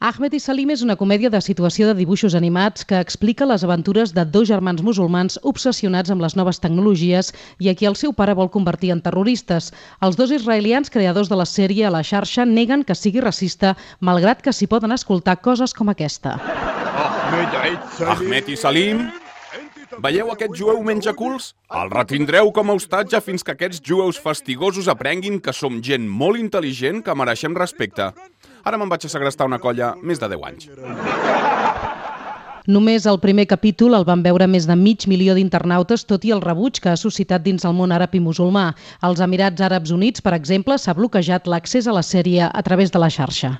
Ahmed i Salim és una comèdia de situació de dibuixos animats que explica les aventures de dos germans musulmans obsessionats amb les noves tecnologies i a qui el seu pare vol convertir en terroristes. Els dos israelians creadors de la sèrie a la xarxa neguen que sigui racista, malgrat que s'hi poden escoltar coses com aquesta. Ahmed i Salim? Veieu aquest jueu menjaculs? El retindreu com a hostatge fins que aquests jueus fastigosos aprenguin que som gent molt intel·ligent que mereixem respecte. Ara me'n vaig a segrestar una colla més de 10 anys. Només el primer capítol el van veure més de 500.000 d'internautes, tot i el rebuig que ha suscitat dins el món àrab i musulmà. Als Emirats Àrabs Units, per exemple, s'ha bloquejat l'accés a la sèrie a través de la xarxa.